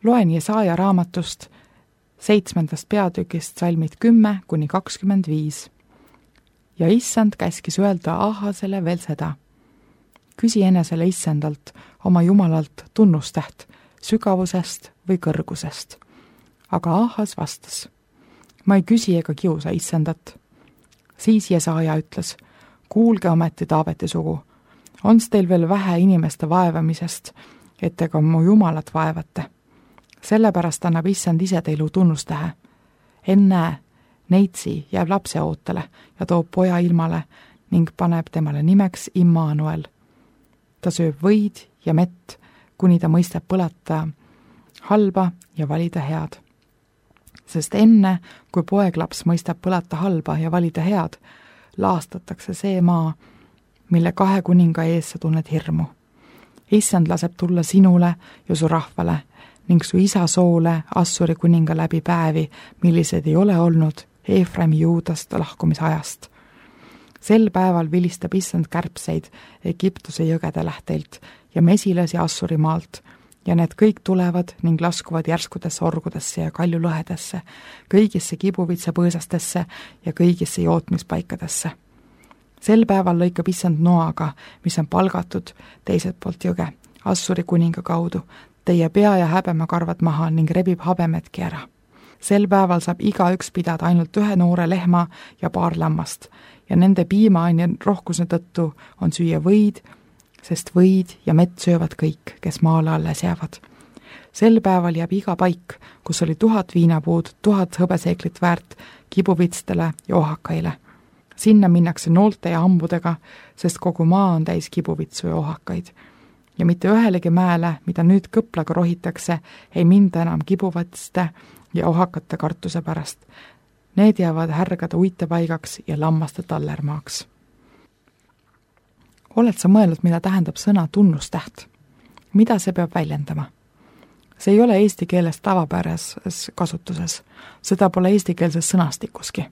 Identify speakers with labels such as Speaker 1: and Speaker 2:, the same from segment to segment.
Speaker 1: Loen Jesaja raamatust 7. peatükist salmid 10–25. Ja issand käskis öelda Ahasele veel seda. Küsi enesele issandalt, oma jumalalt tunnustäht, sügavusest või kõrgusest. Aga Ahas vastas, ma ei küsi ega kiusa issandat. Siis Jesaja ütles, kuulge ometi Taaveti sugu, ons teil veel vähe inimeste vaevamisest, et ega mu jumalat vaevate. Sellepärast annab issand ise teilu tunnustähe. Ennäe, neitsi jääb lapse ootele ja toob poja ilmale ning paneb temale nimeks Immanuel. Ta sööb võid ja mett, kuni ta mõistab põlata halba ja valida head. Sest enne, kui poeglaps mõistab põlata halba ja valida head, laastatakse see maa, mille 2 kuninga ees sa tunned hirmu. Issand laseb tulla sinule ja su rahvale ning su isa soole Assuri kuninga läbi päevi, millised ei ole olnud Eefraimi Juudast lahkumisajast. Sel päeval vilistab issand kärbseid Egiptuse jõgede lähteilt ja mesilasi Assuri maalt, ja need kõik tulevad ning laskuvad järskudesse orgudesse ja kaljulõhedesse, kõigisse kibuvitsapõõsastesse ja kõigisse jootmispaikadesse. Sel päeval lõikab issand noaga, mis on palgatud teiselt poolt jõge, Assuri kuninga kaudu, teie pea ja häbemekarvad maha ning rebib habemetki ära. Sel päeval saab igaüks pidada ainult 1 noore lehma ja 2 lammast ja nende piimaaine rohkuse tõttu on süüa võid, sest võid ja mett söövad kõik, kes maale alles jäävad. Sel päeval jääb iga paik, kus oli 1000 viinapuud, 1000 hõbeseeklit väärt kibuvitstele ja ohakaile. Sinna minnakse noolte ja hambudega, sest kogu maa on täis kibuvitsu ja ohakaid. Ja mitte ühelegi mäele, mida nüüd kõplaga rohitakse, ei minda enam kibuvitste ja ohakate kartuse pärast. Need jäävad härgade uitepaigaks ja lammaste tallermaaks. Oled sa mõelnud, mida tähendab sõna tunnustäht? Mida see peab väljendama? See ei ole eesti keeles tavapärases kasutuses. Seda pole eestikeelses sõnastikuski.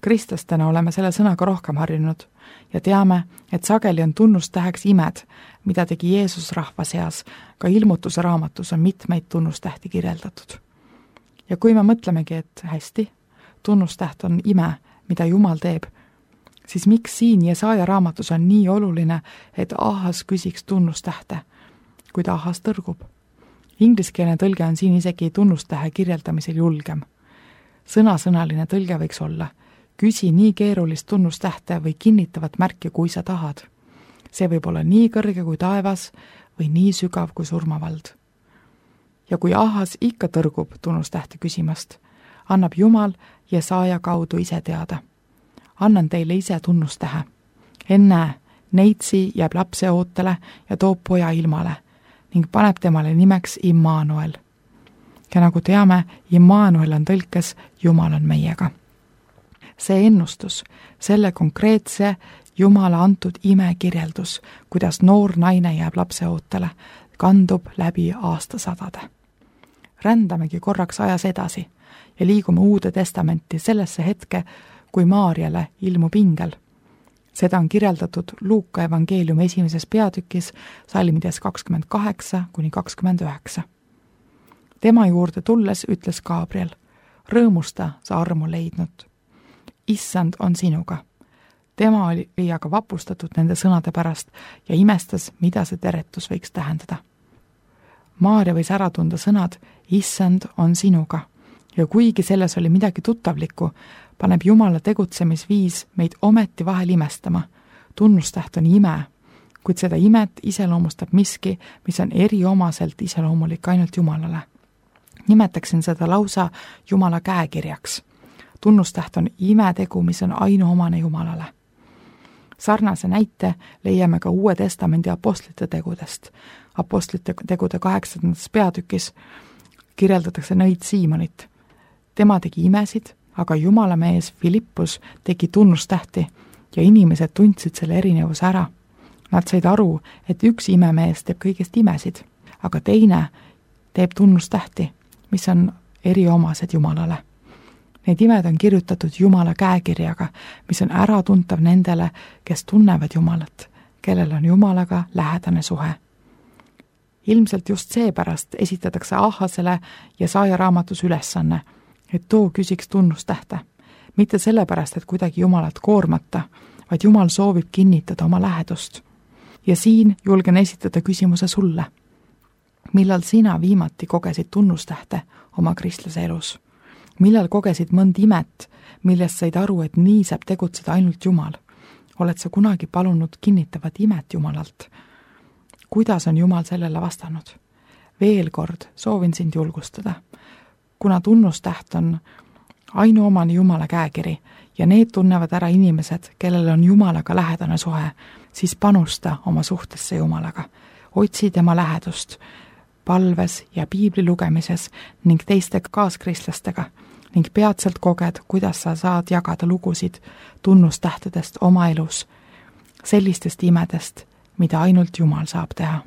Speaker 1: Kristlastena oleme selle sõnaga rohkem harjunud ja teame, et sageli on tunnustäheks imed, mida tegi Jeesus rahva seas. Ka ilmutuse raamatus on mitmeid tunnustähti kirjeldatud. Ja kui me mõtlemegi, et hästi, tunnustäht on ime, mida Jumal teeb, siis miks siin Jesaja raamatus on nii oluline, et Ahas küsiks tunnustähte, kuid Ahas tõrgub? Ingliskeelne tõlge on siin isegi tunnustähe kirjeldamisel julgem. Sõnasõnaline tõlge võiks olla, küsi nii keerulist tunnustähte või kinnitavat märki, kui sa tahad. See võib olla nii kõrge kui taevas või nii sügav kui surmavald. Ja kui Ahas ikka tõrgub tunnustähte küsimast, annab Jumal Jesaja kaudu ise teada. Annan teile ise tunnustähe. Ennäe, neitsi jääb lapse ootele ja toob poja ilmale ning paneb temale nimeks Immanuel. Ja nagu teame, Immanuel on tõlkes Jumal on meiega. See ennustus, selle konkreetse Jumala antud ime kirjeldus, kuidas noor naine jääb lapse ootele, kandub läbi aastasadade. Rändamegi korraks ajas edasi ja liigume Uude Testamenti sellesse hetke, kui Maarjale ilmub ingel. Seda on kirjeldatud Luuka evangeeliumi 1. peatükis salmides 28–29. Tema juurde tulles ütles Gabriel, rõõmusta sa armu leidnud. Issand on sinuga. Tema oli aga vapustatud nende sõnade pärast ja imestas, mida see teretus võiks tähendada. Maarja võis ära tunda sõnad, Issand on sinuga. Ja kuigi selles oli midagi tuttavlikku, paneb Jumala tegutsemisviis meid ometi vahel imestama. Tunnustäht on ime, kuid seda imet iseloomustab miski, mis on eriomaselt iseloomulik ainult Jumalale. Nimetaksin seda lausa Jumala käekirjaks. Tunnustäht on imetegu, mis on ainuomane Jumalale. Sarnase näite leiame ka Uue Testamendi apostlite tegudest. Apostlite tegude 8. peatükis kirjeldatakse nõid Siimonit. Tema tegi imesid, aga Jumala mees Filippus tegi tunnustähti ja inimesed tundsid selle erinevuse ära. Nad said aru, et üks imemees teeb kõigest imesid, aga teine teeb tunnustähti, mis on eriomased Jumalale. Need imed on kirjutatud Jumala käekirjaga, mis on äratuntav nendele, kes tunnevad Jumalat, kellel on Jumalaga lähedane suhe. ilmselt just seepärast esitatakse Ahasele Jesaja raamatus ülesanne, et too küsiks tunnustähte. Mitte sellepärast, et kuidagi Jumalat koormata, vaid Jumal soovib kinnitada oma lähedust. Ja siin julgen esitada küsimuse sulle. Millal sina viimati kogesid tunnustähte oma kristlase elus? Millal kogesid mõnd imet, millest said aru, et nii saab tegutseda ainult Jumal? Oled sa kunagi palunud kinnitavat imet Jumalalt? Kuidas on Jumal sellele vastanud? Veel kord soovin sind julgustada. Kuna tunnustäht on ainuomane Jumala käekiri ja need tunnevad ära inimesed, kellel on Jumalaga lähedane suhe, siis panusta oma suhtesse Jumalaga. Otsi tema lähedust palves ja piibli lugemises ning teiste kaaskristlastega ning peatselt koged, kuidas sa saad jagada lugusid tunnustähtedest oma elus, sellistest imedest, mida ainult Jumal saab teha.